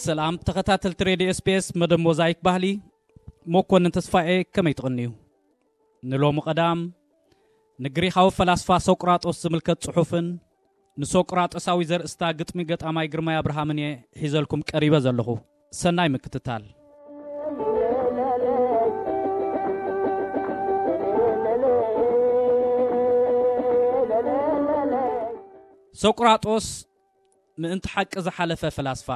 ሰላም ተኸታተልቲ ሬድዮ ኤስቢኤስ፣ መደብ ሞዛይክ ባህሊ፣ መኮንን ተስፋኤ፣ ከመይ ትቕንዩ? ንሎሚ ቀዳም ንግሪኻዊ ፈላስፋ ሶቅራጦስ ዝምልከት ጽሑፍን ንሶቅራጦሳዊ ዘርእስታ ግጥሚ ገጣማይ ግርማይ ኣብርሃምን እየ ሒዘልኩም ቀሪበ ዘለኹ። ሰናይ ምክትታል። ሶቅራጦስ ምእንቲ ሓቂ ዝሓለፈ ፈላስፋ።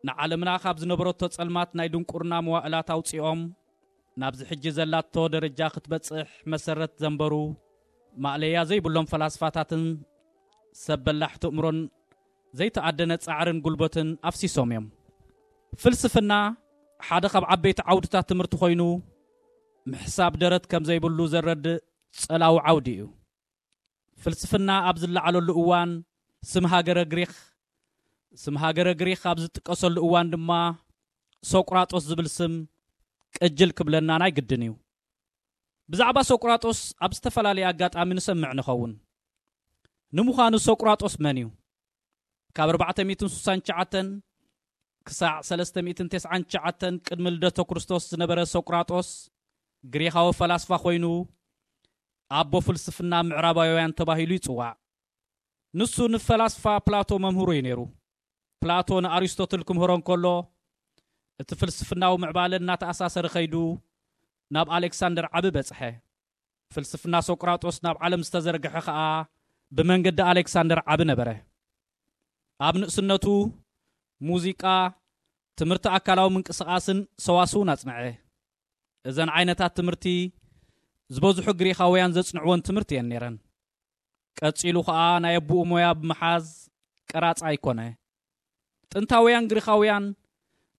ንዓለምና ካብ ዝነበረቶ ጸልማት ናይ ድንቁርና መዋእላት ኣውጺኦም ናብዚ ሕጂ ዘላቶ ደረጃ ክትበጽሕ መሰረት ዘንበሩ ማእለያ ዘይብሎም ፈላስፋታትን ሰብ በላሕቲ እምሮን ዘይተኣደነ ጻዕርን ጉልበትን ኣፍሲሶም እዮም። ፍልስፍና ሓደ ካብ ዓበይቲ ዓውድታት ትምህርቲ ኮይኑ፣ ምሕሳብ ደረት ከም ዘይብሉ ዘረድእ ጸላዊ ዓውዲ እዩ። ፍልስፍና ኣብ ዝለዓለሉ እዋን ስም ሃገረ ግሪኽ፣ ስም ሃገረ ግሪኽ ኣብ ዝጥቀሰሉ እዋን ድማ ሶቅራጦስ ዝብል ስም ቅጅል ክብለና ናይ ግድን እዩ። ብዛዕባ ሶቅራጦስ ኣብ ዝተፈላለየ ኣጋጣሚ ንሰምዕ ንኸውን። ንምዃኑ ሶቅራጦስ መን እዩ? ካብ ኣርባዕተ ሚእትን ስሳን ትሽዓተን ክሳዕ ሰለስተ ሚእትን ተስዓን ትሽዓተን ቅድሚ ልደተ ክርስቶስ ዝነበረ ሶቅራጦስ ግሪኻዊ ፈላስፋ ኮይኑ፣ ኣቦ ፍልስፍና ምዕራባውያን ተባሂሉ ይጽዋዕ። ንሱ ንፈላስፋ ፕላቶ መምህሩ እዩ ነይሩ። ፕላቶ ንኣሪስቶትል ክምህሮ እንከሎ፣ እቲ ፍልስፍናዊ ምዕባለ እናተኣሳሰረ ከይዱ ናብ ኣሌክሳንደር ዓቢ በጽሐ። ፍልስፍና ሶቅራጦስ ናብ ዓለም ዝተዘርግሐ ኸኣ ብመንገዲ ኣሌክሳንደር ዓቢ ነበረ። ኣብ ንእስነቱ ሙዚቃ፣ ትምህርቲ ኣካላዊ ምንቅስቓስን ሰዋስውን ኣጽንዐ። እዘን ዓይነታት ትምህርቲ ዝበዝሑ ግሪኻውያን ዘጽንዕወን ትምህርቲ እየን ነይረን። ቀጺሉ ኸኣ ናይ ኣቦኡ ሞያ ብምሓዝ ቀራጻይ ኮነ። ጥንታውያን ግሪኻውያን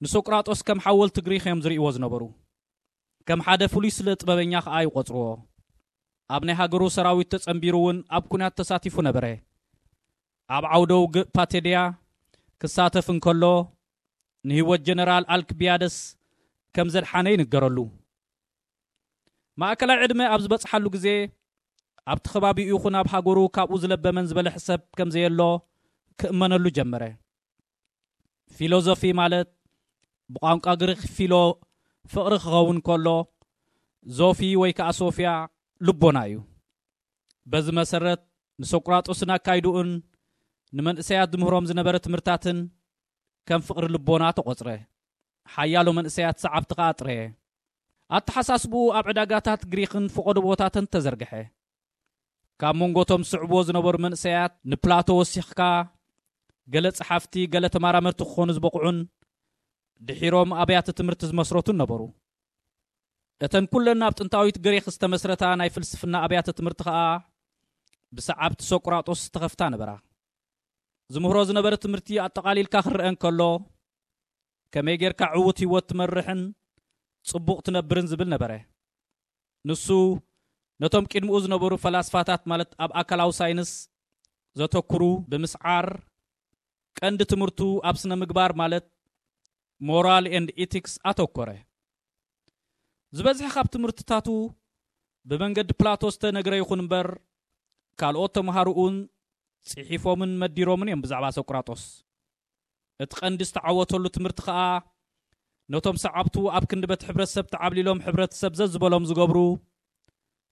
ንሶቅራጦስ ከም ሓወልቲ ግሪኽ እዮም ዝርእይዎ ዝነበሩ። ከም ሓደ ፍሉይ ስለ ጥበበኛ ኸኣ ይቖጽርዎ። ኣብ ናይ ሃገሩ ሰራዊት ተጸንቢሩ እውን ኣብ ኲናት ተሳቲፉ ነበረ። ኣብ ዓውደ ውግእ ፓቴድያ ክሳተፍ እንከሎ፣ ንህይወት ጀነራል ኣልክቢያደስ ከም ዘድሓነ ይንገረሉ። ማእከላይ ዕድመ ኣብ ዝበጽሓሉ ግዜ፣ ኣብቲ ከባቢኡ ይኹን ኣብ ሃገሩ ካብኡ ዝለበመን ዝበለሐ ሰብ ከም ዘየሎ ክእመነሉ ጀመረ። ፊሎዞፊ ማለት ብቋንቋ ግሪኽ ፊሎ ፍቕሪ ክኸውን ከሎ፣ ዞፊ ወይ ከኣ ሶፊያ ልቦና እዩ። በዚ መሰረት ንሶቅራጦስን ኣካይድኡን ንመንእሰያት ዝምህሮም ዝነበረ ትምህርታትን ከም ፍቕሪ ልቦና ተቖጽረ። ሓያሎ መንእሰያት ሰዓብቲ ከኣ ኣጥረየ። ኣተሓሳስብኡ ኣብ ዕዳጋታት ግሪኽን ፈቐዶ ቦታትን ተዘርግሐ። ካብ መንጎቶም ዝስዕብዎ ዝነበሩ መንእሰያት ንፕላቶ ወሲኽካ ገለ ጸሓፍቲ፣ ገለ ተመራመርቲ ክኾኑ ዝበቕዑን ድሒሮም ኣብያተ ትምህርቲ ዝመስረቱን ነበሩ። እተን ኩለን ኣብ ጥንታዊት ግሪኽ ዝተመስረታ ናይ ፍልስፍና ኣብያተ ትምህርቲ ኸኣ ብሰዓብቲ ሶቅራጦስ ዝተኸፍታ ነበራ። ዝምህሮ ዝነበረ ትምህርቲ ኣጠቓሊልካ ክረአ እንከሎ፣ ከመይ ጌርካ ዕዉት ህይወት ትመርሕን ጽቡቕ ትነብርን ዝብል ነበረ። ንሱ ነቶም ቅድሚኡ ዝነበሩ ፈላስፋታት፣ ማለት ኣብ ኣካላዊ ሳይንስ ዘተኩሩ ብምስዓር፣ ቀንዲ ትምህርቱ ኣብ ስነ ምግባር፣ ማለት ሞራል ኤንድ ኢቲክስ ኣተኮረ። ዝበዝሐ ካብ ትምህርትታቱ ብመንገዲ ፕላቶ ዝተነግረ ይኹን እምበር፣ ካልኦት ተምሃሮኡን ጽሒፎምን መዲሮምን እዮም ብዛዕባ ሶቅራጦስ። እቲ ቀንዲ ዝተዓወተሉ ትምህርቲ ኸኣ፣ ነቶም ሰዓብቱ ኣብ ክንዲ በቲ ሕብረተሰብ ተዓብሊሎም ሕብረተሰብ ዘዝበሎም ዝገብሩ፣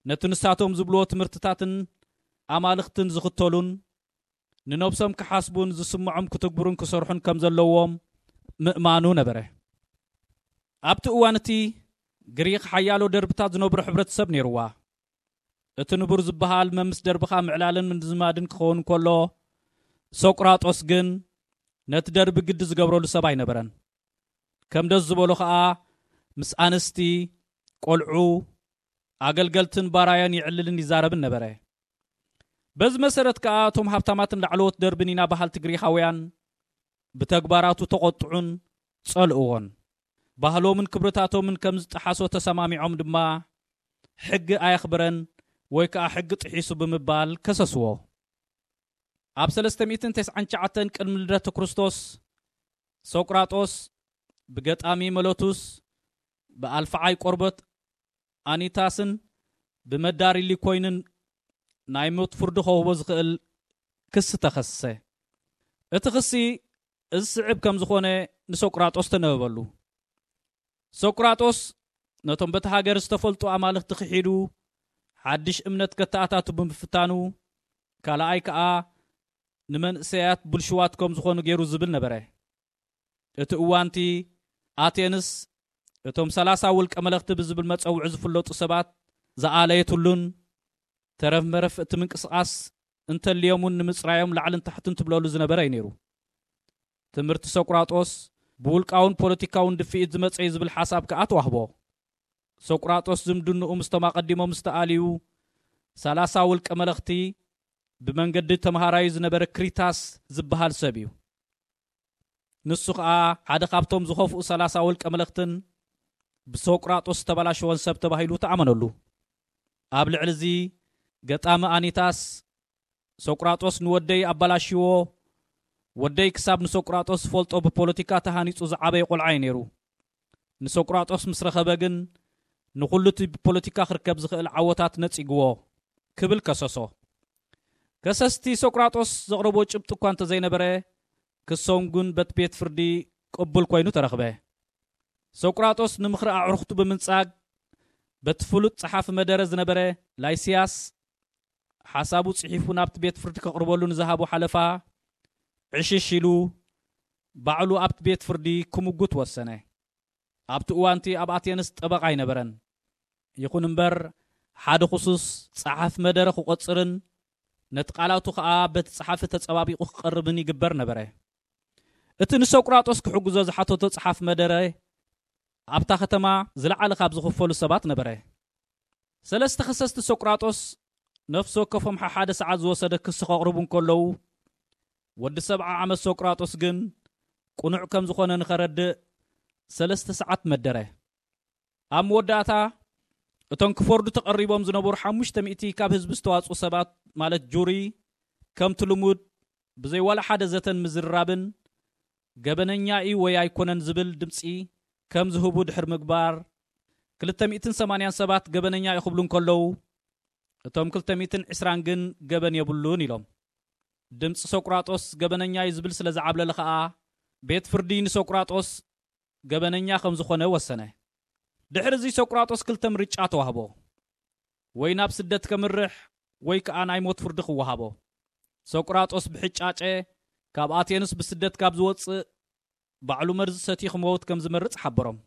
ነቲ ንሳቶም ዝብልዎ ትምህርትታትን ኣማልኽትን ዝኽተሉን፣ ንነብሶም ክሓስቡን ዝስምዖም ክትግብሩን ክሰርሑን ከም ዘለዎም ምእማኑ ነበረ። ኣብቲ እዋን እቲ ግሪኽ ሓያሎ ደርብታት ዝነብሮ ሕብረተሰብ ነይርዋ። እቲ ንቡር ዝበሃል መምስ ደርብኻ ምዕላልን ምዝማድን ክኸውን ከሎ፣ ሶቅራጦስ ግን ነቲ ደርቢ ግዲ ዝገብረሉ ሰብ ኣይነበረን። ከም ደስ ዝበሎ ኸኣ ምስ ኣንስቲ፣ ቆልዑ፣ ኣገልገልትን ባራዮን ይዕልልን ይዛረብን ነበረ። በዚ መሰረት ከኣ እቶም ሃብታማትን ላዕለዎት ደርብን ኢና በሃልቲ ግሪኻውያን ብተግባራቱ ተቖጥዑን ጸልእዎን። ባህሎምን ክብርታቶምን ከም ዝጠሓሶ ተሰማሚዖም ድማ ሕጊ ኣየኽብረን ወይ ከኣ ሕጊ ጥሒሱ ብምባል ከሰስዎ። ኣብ ሰለስተ ሚእትን ተስዓን ትሽዓተን ቅድሚ ልደተ ክርስቶስ ሶቅራጦስ ብገጣሚ መለቱስ፣ ብኣልፍዓይ ቆርበት ኣኒታስን ብመዳሪ ሊኮይንን ናይ ሞት ፍርዲ ከውህቦ ዝኽእል ክሲ ተኸሰሰ። እቲ ክሲ እዚ ስዕብ ከም ዝኾነ ንሶቅራጦስ ተነበበሉ። ሶቅራጦስ ነቶም በቲ ሃገር ዝተፈልጡ ኣማልኽቲ ክሒዱ ሓድሽ እምነት ከተኣታቱ ብምፍታኑ፣ ካልኣይ ከኣ ንመንእሰያት ብልሽዋት ከም ዝኾኑ ገይሩ ዝብል ነበረ። እቲ እዋንቲ ኣቴንስ እቶም ሰላሳ ውልቀ መለኽቲ ብዝብል መጸውዒ ዝፍለጡ ሰባት ዝኣለየትሉን ተረፍ መረፍ እቲ ምንቅስቓስ እንተልዮም እውን ንምጽራዮም ላዕልን ታሕትን ትብለሉ ዝነበረ እዩ ነይሩ። ትምህርቲ ሶቅራጦስ ብውልቃውን ፖለቲካውን ድፍኢት ዝመጸ እዩ ዝብል ሓሳብ ከኣ ተዋህቦ። ሶቅራጦስ ዝምድንኡ ምስቶም ኣቐዲሞም ዝተኣልዩ ሰላሳ ውልቀ መለኽቲ ብመንገዲ ተምሃራዩ ዝነበረ ክሪታስ ዝበሃል ሰብ እዩ። ንሱ ኸኣ ሓደ ካብቶም ዝኸፍኡ ሰላሳ ውልቀ መለኽትን ብሶቅራጦስ ዝተበላሸወን ሰብ ተባሂሉ ተኣመነሉ። ኣብ ልዕሊ እዚ ገጣሚ ኣኒታስ፣ ሶቅራጦስ ንወደይ ኣበላሽዎ፣ ወደይ ክሳብ ንሶቅራጦስ ዝፈልጦ ብፖለቲካ ተሃኒጹ ዝዓበየ ቆልዓ እዩ ነይሩ። ንሶቅራጦስ ምስ ረኸበ ግን ንኹሉ እቲ ብፖለቲካ ክርከብ ዝኽእል ዓወታት ነጺግዎ ክብል ከሰሶ። ከሰስቲ ሶቅራጦስ ዘቕረቦ ጭብጢ እኳ እንተዘይነበረ፣ ክሶም ግን በቲ ቤት ፍርዲ ቅቡል ኮይኑ ተረኽበ። ሶቅራጦስ ንምኽሪ ኣዕሩኽቱ ብምንጻግ በቲ ፍሉጥ ጸሓፊ መደረ ዝነበረ ላይሲያስ ሓሳቡ ጽሒፉ ናብቲ ቤት ፍርዲ ከቕርበሉ ንዝሃቦ ሓለፋ ዕሽሽ ኢሉ ባዕሉ ኣብቲ ቤት ፍርዲ ክምጉት ወሰነ። ኣብቲ እዋንቲ ኣብ ኣቴንስ ጠበቓ ኣይነበረን። ይኹን እምበር ሓደ ክሱስ ጸሓፊ መደረ ክቖጽርን ነቲ ቃላቱ ኸኣ በቲ ጸሓፊ ተጸባቢቑ ክቐርብን ይግበር ነበረ። እቲ ንሶቅራጦስ ክሕግዞ ዝሓተቶ ጸሓፊ መደረ ኣብታ ከተማ ዝለዓለ ካብ ዝኽፈሉ ሰባት ነበረ። ሰለስተ ከሰስቲ ሶቅራጦስ ነፍሲ ወከፎም ሓሓደ ሰዓት ዝወሰደ ክሲ ከቕርቡ እንከለዉ፣ ወዲ ሰብዓ ዓመት ሶቅራጦስ ግን ቅኑዕ ከም ዝኾነ ንኸረድእ ሰለስተ ሰዓት መደረ። ኣብ መወዳእታ እቶም ክፈርዱ ተቐሪቦም ዝነበሩ ሓሙሽተ ሚእቲ ካብ ህዝቢ ዝተዋጽኡ ሰባት ማለት ጁሪ ከምቲ ልሙድ ብዘይ ዋላ ሓደ ዘተን ምዝርራብን ገበነኛ እዩ ወይ ኣይኮነን ዝብል ድምጺ ከም ዝህቡ ድሕሪ ምግባር ክልተ ሚእትን ሰማንያን ሰባት ገበነኛ እዩ ክብሉ እንከለዉ እቶም ክልተ ሚእትን ዕስራን ግን ገበን የብሉን ኢሎም። ድምጺ ሶቅራጦስ ገበነኛ እዩ ዝብል ስለ ዝዓብለለ ኸኣ ቤት ፍርዲ ንሶቅራጦስ ገበነኛ ከም ዝኾነ ወሰነ። ድሕሪ እዚ ሶቅራጦስ ክልተ ምርጫ ተዋህቦ። ወይ ናብ ስደት ከምርሕ ወይ ከኣ ናይ ሞት ፍርዲ ክወሃቦ። ሶቅራጦስ ብሕጫጨ ካብ ኣቴንስ ብስደት ካብ ዝወጽእ ባዕሉ መርዚ ሰትዩ ክመውት ከም ዝመርጽ ሓበሮም።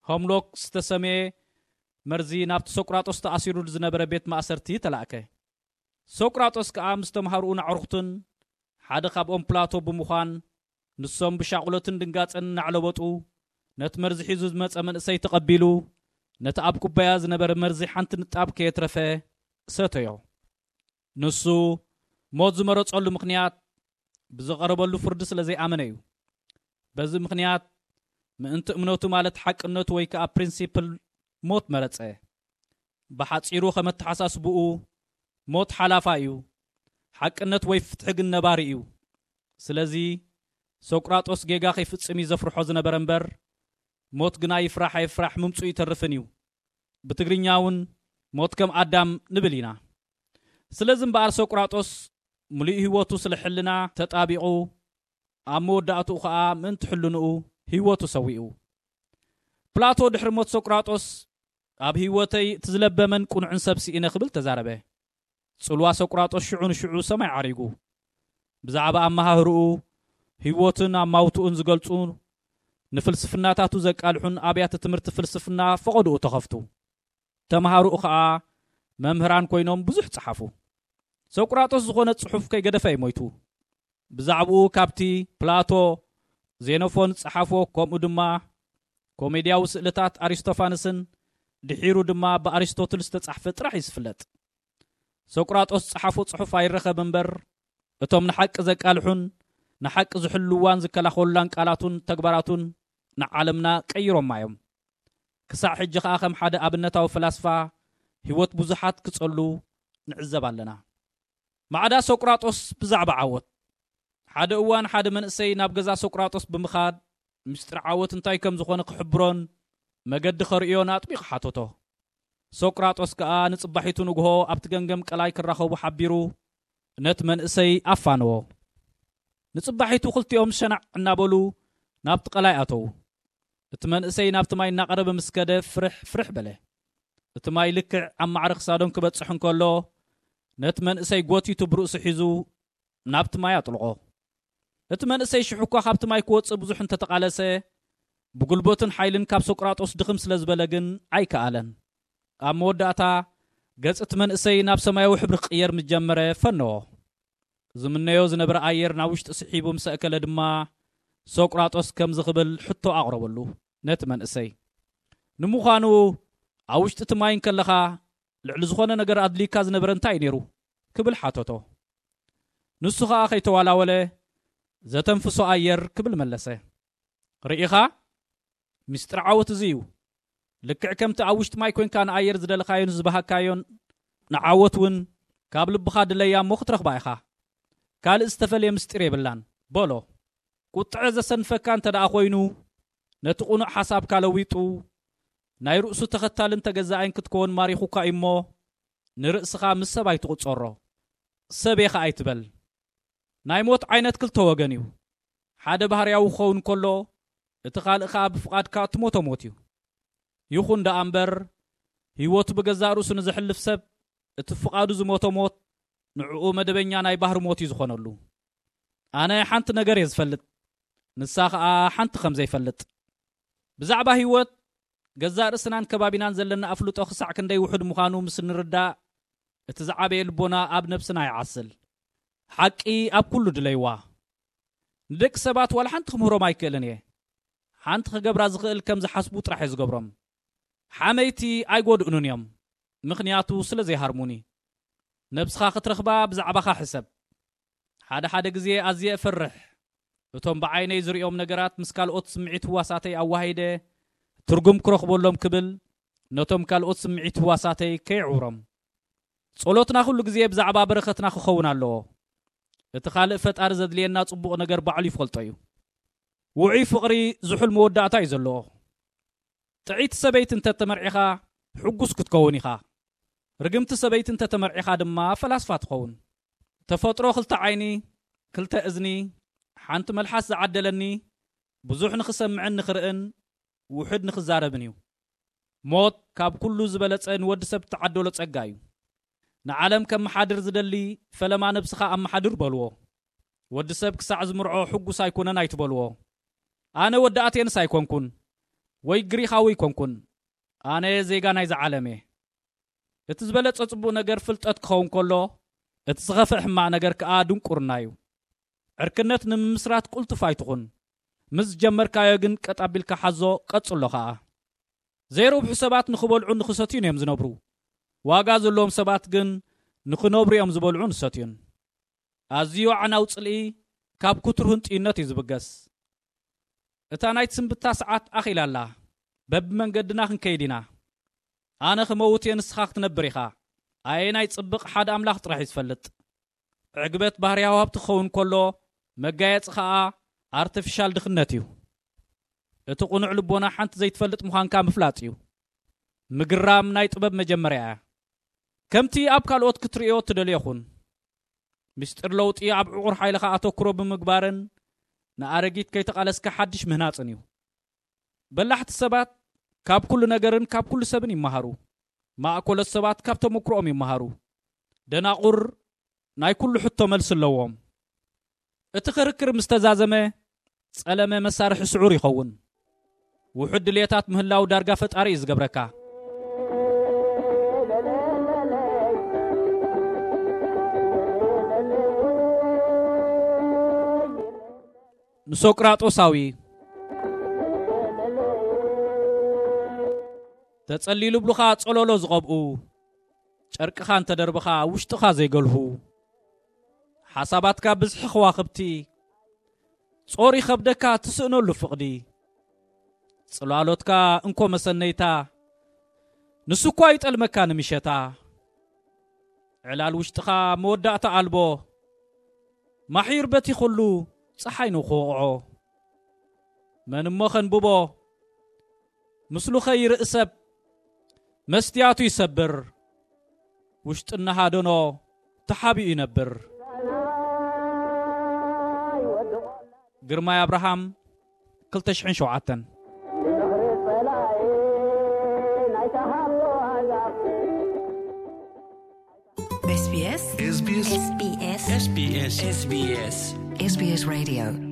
ሆምሎክ ዝተሰምየ መርዚ ናብቲ ሶቅራጦስ ተኣሲሩሉ ዝነበረ ቤት ማእሰርቲ ተላእከ። ሶቅራጦስ ከኣ ምስ ተምሃርኡን ኣዕሩኽቱን ሓደ ካብኦም ፕላቶ ብምዃን ንሶም ብሻቕሎትን ድንጋጸን እናዕለበጡ ነቲ መርዚ ሒዙ ዝመጸ መንእሰይ ተቐቢሉ ነቲ ኣብ ኩባያ ዝነበረ መርዚ ሓንቲ ንጣብ ከየትረፈ ሰተዮ። ንሱ ሞት ዝመረጸሉ ምኽንያት ብዝቐረበሉ ፍርዲ ስለ ዘይኣመነ እዩ። በዚ ምኽንያት ምእንቲ እምነቱ ማለት ሓቅነቱ ወይ ከኣ ፕሪንሲፕል ሞት መረጸ። ብሓጺሩ ከም ኣተሓሳስብኡ ሞት ሓላፋ እዩ፣ ሓቅነት ወይ ፍትሒ ግን ነባሪ እዩ። ስለዚ ሶቅራጦስ ጌጋ ከይፍጽም እዩ ዘፍርሖ ዝነበረ እምበር ሞት ግና ይፍራሕ ኣይፍራሕ ምምጽኡ ይተርፍን እዩ። ብትግርኛ እውን ሞት ከም ኣዳም ንብል ኢና። ስለዚ እምበኣር ሶቅራጦስ ምሉእ ህይወቱ ስለ ሕልና ተጣቢቑ ኣብ መወዳእትኡ ኸኣ ምእንቲ ሕልንኡ ህይወቱ ሰዊኡ። ፕላቶ ድሕሪ ሞት ሶቅራጦስ ኣብ ህይወተይ እቲ ዝለበመን ቅኑዕን ሰብ ስኢነ ክብል ተዛረበ። ጽልዋ ሶቅራጦስ ሽዑ ንሽዑ ሰማይ ዓሪጉ። ብዛዕባ ኣመሃህርኡ፣ ህይወቱን ኣማውትኡን ዝገልጹ ንፍልስፍናታቱ ዘቃልሑን ኣብያተ ትምህርቲ ፍልስፍና ፈቐድኡ ተኸፍቱ። ተምሃርኡ ኸኣ መምህራን ኮይኖም ብዙሕ ጸሓፉ። ሶቅራጦስ ዝኾነ ጽሑፍ ከይገደፈ እዩ ሞይቱ። ብዛዕባኡ ካብቲ ፕላቶ፣ ዜኖፎን ዝጸሓፎ ከምኡ ድማ ኮሜድያዊ ስእልታት ኣሪስቶፋንስን ድሒሩ ድማ ብኣሪስቶትል ዝተጻሕፈ ጥራሕ እዩ ዝፍለጥ። ሶቅራጦስ ዝጸሓፎ ጽሑፍ ኣይረኸብ እምበር እቶም ንሓቂ ዘቃልሑን ንሓቂ ዝሕልዋን ዝከላኸሉላን ቃላቱን ተግባራቱን ንዓለምና ቀይሮማ እዮም። ክሳዕ ሕጂ ኸኣ ከም ሓደ ኣብነታዊ ፈላስፋ ህይወት ብዙሓት ክጸሉ ንዕዘብ ኣለና። ማዕዳ ሶቅራጦስ ብዛዕባ ዓወት። ሓደ እዋን ሓደ መንእሰይ ናብ ገዛ ሶቅራጦስ ብምኻድ ምስጢር ዓወት እንታይ ከም ዝኾነ ክሕብሮን መገዲ ከርእዮን ኣጥቢቑ ሓተቶ። ሶቅራጦስ ከኣ ንጽባሒቱ ንግሆ ኣብቲ ገምገም ቀላይ ክራኸቡ ሓቢሩ ነቲ መንእሰይ ኣፋነዎ። ንጽባሒቱ ክልቲኦም ሸናዕ እናበሉ ናብቲ ቀላይ ኣተዉ። እቲ መንእሰይ ናብቲ ማይ እናቐረበ ምስ ከደ ፍርሕ ፍርሕ በለ። እቲ ማይ ልክዕ ኣብ ማዕረ ክሳዶም ክበጽሕ እንከሎ፣ ነቲ መንእሰይ ጎቲቱ ብርእሱ ሒዙ ናብቲ ማይ ኣጥልቖ። እቲ መንእሰይ ሽሕ እኳ ካብቲ ማይ ክወጽእ ብዙሕ እንተተቓለሰ፣ ብጉልበቱን ሓይልን ካብ ሶቅራጦስ ድኽም ስለ ዝበለ ግን ኣይከኣለን። ኣብ መወዳእታ ገጽ እቲ መንእሰይ ናብ ሰማያዊ ሕብሪ ክቕየር ምስ ጀመረ ፈነዎ። ዝምነዮ ዝነበረ ኣየር ናብ ውሽጢ ስሒቡ ምስ ኣእከለ ድማ ሶቅራጦስ ከምዚ ክብል ሕቶ ኣቕረበሉ ነቲ መንእሰይ። ንምዃኑ ኣብ ውሽጢ እቲ ማይ እንከለኻ ልዕሊ ዝኾነ ነገር ኣድልዩካ ዝነበረ እንታይ እዩ ነይሩ? ክብል ሓተቶ። ንሱ ኸኣ ከይተዋላወለ ዘተንፍሶ ኣየር ክብል መለሰ። ርኢኻ? ምስጢር ዓወት እዚ እዩ። ልክዕ ከምቲ ኣብ ውሽጢ ማይ ኮንካ ንኣየር ዝደለኻዮን ዝበሃካዮን ንዓወት እውን ካብ ልብኻ ድለያ እሞ ክትረኽባ ኢኻ። ካልእ ዝተፈልየ ምስጢር የብላን በሎ። ቁጥዐ ዘሰንፈካ እንተ ደኣ ኮይኑ ነቲ ቁኑዕ ሓሳብካ ለዊጡ ናይ ርእሱ ተኸታልን ተገዛኣይን ክትከውን ማሪኹካ እዩ እሞ ንርእስኻ ምስ ሰብ ኣይትቑጸሮ። ሰብ እየ ኸኣ ኣይትበል። ናይ ሞት ዓይነት ክልተ ወገን እዩ። ሓደ ባህርያዊ ክኸውን ከሎ እቲ ካልእ ከኣ ብፍቓድካ እትሞቶ ሞት እዩ። ይኹን ደኣ እምበር ህይወቱ ብገዛእ ርእሱ ንዘሕልፍ ሰብ እቲ ፍቓዱ ዝሞቶ ሞት ንዕኡ መደበኛ ናይ ባህሪ ሞት እዩ ዝኾነሉ። ኣነ ሓንቲ ነገር እየ ዝፈልጥ፣ ንሳ ኸኣ ሓንቲ ከም ዘይፈልጥ። ብዛዕባ ህይወት ገዛእ ርእስናን ከባቢናን ዘለና ኣፍልጦ ክሳዕ ክንደይ ውሑድ ምዃኑ ምስ እንርዳእ እቲ ዝዓበየ ልቦና ኣብ ነብስና ይዓስል። ሓቂ ኣብ ኩሉ ድለይዋ። ንደቂ ሰባት ዋላ ሓንቲ ክምህሮም ኣይክእልን እየ። ሓንቲ ክገብራ ዝኽእል ከም ዝሓስቡ ጥራሕ እየ ዝገብሮም። ሓመይቲ ኣይጎድኡንን እዮም፣ ምኽንያቱ ስለ ዘይሃርሙኒ። ነብስኻ ክትረኽባ ብዛዕባኻ ሕሰብ። ሓደ ሓደ ግዜ ኣዝየ እፈርሕ። እቶም ብዓይነይ ዝርእዮም ነገራት ምስ ካልኦት ስምዒት ህዋሳተይ ኣዋሂደ ትርጉም ክረኽበሎም ክብል ነቶም ካልኦት ስምዒት ህዋሳተይ ከየዕውሮም። ጸሎትና ኩሉ ግዜ ብዛዕባ በረኸትና ክኸውን ኣለዎ። እቲ ካልእ ፈጣሪ ዘድልየና ጽቡቕ ነገር ባዕሉ ይፈልጦ እዩ። ውዑይ ፍቕሪ ዝሑል መወዳእታ እዩ ዘለዎ። ጥዕይቲ ሰበይቲ እንተ ተመርዒኻ ሕጉስ ክትከውን ኢኻ። ርግምቲ ሰበይቲ እንተ ተመርዒኻ ድማ ፈላስፋ ትኸውን። ተፈጥሮ ክልተ ዓይኒ፣ ክልተ እዝኒ፣ ሓንቲ መልሓስ ዝዓደለኒ ብዙሕ ንኽሰምዕን ንኽርእን ውሑድ ንኽዛረብን እዩ። ሞት ካብ ኩሉ ዝበለጸ ንወዲ ሰብ እተዓደሎ ጸጋ እዩ። ንዓለም ከመሓድር ዝደሊ ፈለማ ነብስኻ ኣመሓድር በልዎ። ወዲ ሰብ ክሳዕ ዝምርዖ ሕጉስ ኣይኮነን ኣይትበልዎ። ኣነ ወዲ ኣቴንስ ኣይኮንኩን፣ ወይ ግሪኻዊ ኣይኮንኩን። ኣነ ዜጋ ናይዚ ዓለም እየ። እቲ ዝበለጸ ጽቡቕ ነገር ፍልጠት ክኸውን ከሎ፣ እቲ ዝኸፍእ ሕማቕ ነገር ከኣ ድንቁርና እዩ። ዕርክነት ንምምስራት ቁልጡፍ ኣይትኹን። ምስ ጀመርካዮ ግን ቀጥ ኣቢልካ ሓዞ፣ ቀጽሎ ከኣ። ዘይረብሑ ሰባት ንኽበልዑን ንኽሰትዩን እዮም ዝነብሩ። ዋጋ ዘለዎም ሰባት ግን ንኽነብሩ እዮም ዝበልዑን ዝሰትዩን። ኣዝዩ ኣዕናዊ ጽልኢ ካብ ክትርሁን ጥዩነት እዩ ዝብገስ። እታ ናይ ትስንብታ ሰዓት ኣኺላ ኣላ። በብመንገድና ክንከይድ ኢና። ኣነ ክመውት እየ፣ ንስኻ ክትነብር ኢኻ። ኣየናይ ጽብቕ ሓደ ኣምላኽ ጥራሕ እዩ ዝፈልጥ። ዕግበት ባህርያዊ ሃብቲ ክኸውን ከሎ፣ መጋየጺ ኸኣ ኣርቲፊሻል ድኽነት እዩ። እቲ ቅኑዕ ልቦና ሓንቲ ዘይትፈልጥ ምዃንካ ምፍላጥ እዩ። ምግራም ናይ ጥበብ መጀመርያ እያ። ከምቲ ኣብ ካልኦት ክትርእዮ እትደልዮ ኩን። ምስጢር ለውጢ ኣብ ዕቑር ሓይልኻ ኣተኩሮ ብምግባርን ንኣረጊት ከይተቓለስካ ሓድሽ ምህናጽን እዩ። በላሕቲ ሰባት ካብ ኩሉ ነገርን ካብ ኩሉ ሰብን ይመሃሩ። ማእኮሎት ሰባት ካብ ተመኩሮኦም ይመሃሩ። ደናቑር ናይ ኩሉ ሕቶ መልሲ ኣለዎም። እቲ ክርክር ምስ ተዛዘመ፣ ጸለመ መሳርሒ ስዑር ይኸውን። ውሑድ ድልየታት ምህላው ዳርጋ ፈጣሪ እዩ ዝገብረካ። ንሶቅራጦሳዊ ተጸሊሉ ብሉኻ ጸሎሎ ዝቐብኡ፣ ጨርቅኻ እንተደርብኻ ውሽጥኻ ዘይገልሁ፣ ሓሳባትካ ብዝሒ ከዋኽብቲ፣ ጾር ይኸብደካ ትስእነሉ ፍቕዲ። ጽላሎትካ እንኮ መሰነይታ፣ ንሱ እኳ ይጠልመካ ንምሸታ። ዕላል ውሽጥኻ መወዳእታ ኣልቦ፣ ማሒር በቲ ኩሉ ጸሓይ ነው ክወቕዖ። መን እሞ ከንብቦ? ምስሉ ኸይርኢ ሰብ መስትያቱ ይሰብር፣ ውሽጥና ሃደኖ ተሓቢኡ ይነብር። ግርማይ ኣብርሃም፣ ክልተ ሽሕን ሸውዓተን። SBS SBS SBS SBS SBS SBS Radio